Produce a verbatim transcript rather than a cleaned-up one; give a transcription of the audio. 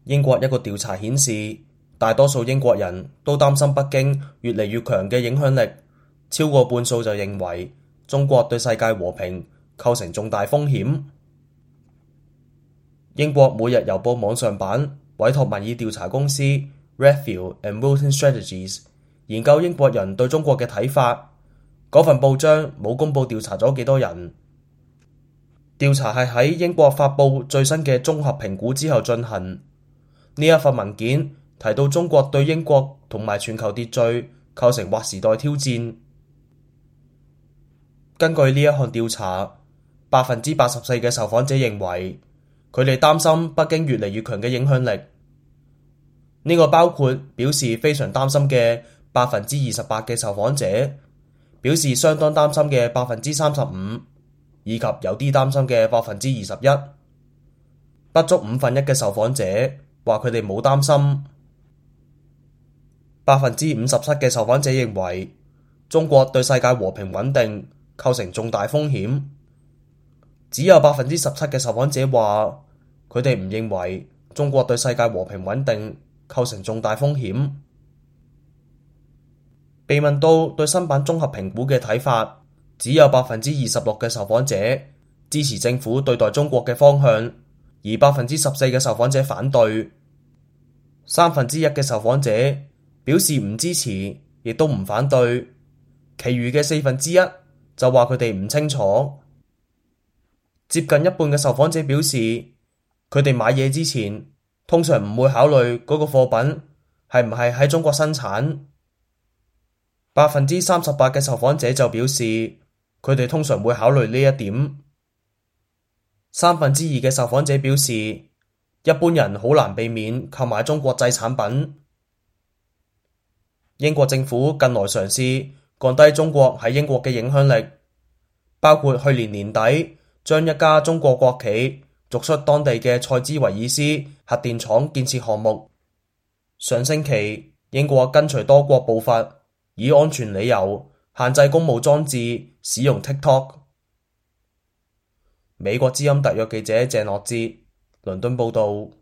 英國一個調查顯示，大多數英國人都擔心北京越嚟越強嘅影響力，超過半數就認為中國對世界和平構成重大風險。英國每日郵報網上版委託民意調查公司 Redfield and Wilton Strategies 研究英國人對中國嘅睇法。嗰份報章冇公佈調查咗幾多人。調查係喺英國發佈最新嘅綜合評估之後進行。呢一份文件提到中國對英國同埋全球秩序構成劃時代挑戰。根據呢一項調查，百分之八十四嘅受訪者認為佢哋擔心北京越嚟越強嘅影響力。呢個包括表示非常擔心嘅百分之二十八嘅受訪者，表示相當擔心嘅百分之三十五，以及有啲擔心嘅百分之二十一。不足五分一嘅受訪者話佢哋冇擔心。百分之五十七嘅受訪者認為中國對世界和平穩定構成重大風險，只有百分之十七嘅受訪者話佢哋唔認為中國對世界和平穩定構成重大風險。被問到對新版綜合評估嘅睇法，只有百分之二十六嘅受訪者支持政府對待中國嘅方向，而百分之十四嘅受訪者反對。三分之一嘅受訪者表示唔支持，亦都唔反對，其餘嘅四分之一就話佢哋唔清楚。接近一半嘅受訪者表示，佢哋買嘢之前通常唔會考慮嗰個貨品係唔係喺中國生產。百分之三十八嘅受訪者就表示，佢哋通常會考慮呢一點。三分之二嘅受訪者表示，一般人好難避免購買中國製產品。英國政府近來嘗試降低中國喺英國嘅影響力，包括去年年底將一家中國國企逐出當地嘅塞茲維爾斯核電廠建設項目。上星期，英國跟隨多國步伐，以安全理由限制公務裝置使用 TikTok。美國之音特約記者鄭樂志，倫敦報道。